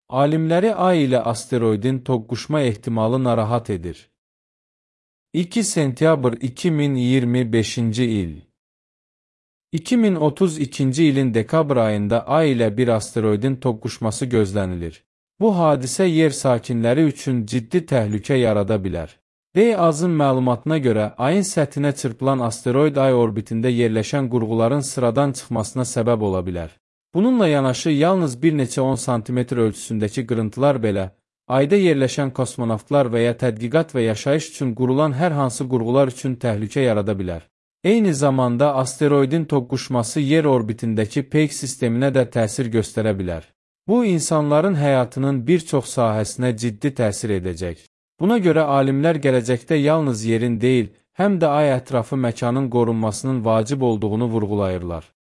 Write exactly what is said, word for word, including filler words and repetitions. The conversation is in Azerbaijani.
alimləri Ay ilə asteroidin toqquşma ehtimalı narahat edir. iki sentyabr iki min iyirmi beşinci il iki min otuz ikinci ilin dekabr ayında Ay ilə bir asteroidin toqquşması gözlənilir. Bu hadisə yer sakinləri üçün ciddi təhlükə yarada bilər. R A Z-ın məlumatına görə Ayın səthinə çırpılan asteroid Ay orbitində yerləşən qurğuların sıradan çıxmasına səbəb ola bilər. Bununla yanaşı yalnız bir neçə on santimetr ölçüsündəki qırıntılar belə Ayda yerləşən kosmonavtlar və ya tədqiqat və yaşayış üçün qurulan hər hansı qurğular üçün təhlükə yarada bilər. Eyni zamanda asteroidin toqquşması yer orbitindəki peyk sisteminə də təsir göstərə bilər. Bu, insanların həyatının bir çox sahəsinə ciddi təsir edəcək. Buna görə alimlər gələcəkdə yalnız yerin deyil, həm də Ay ətrafı məkanın qorunmasının vacib olduğunu vurğulayırlar.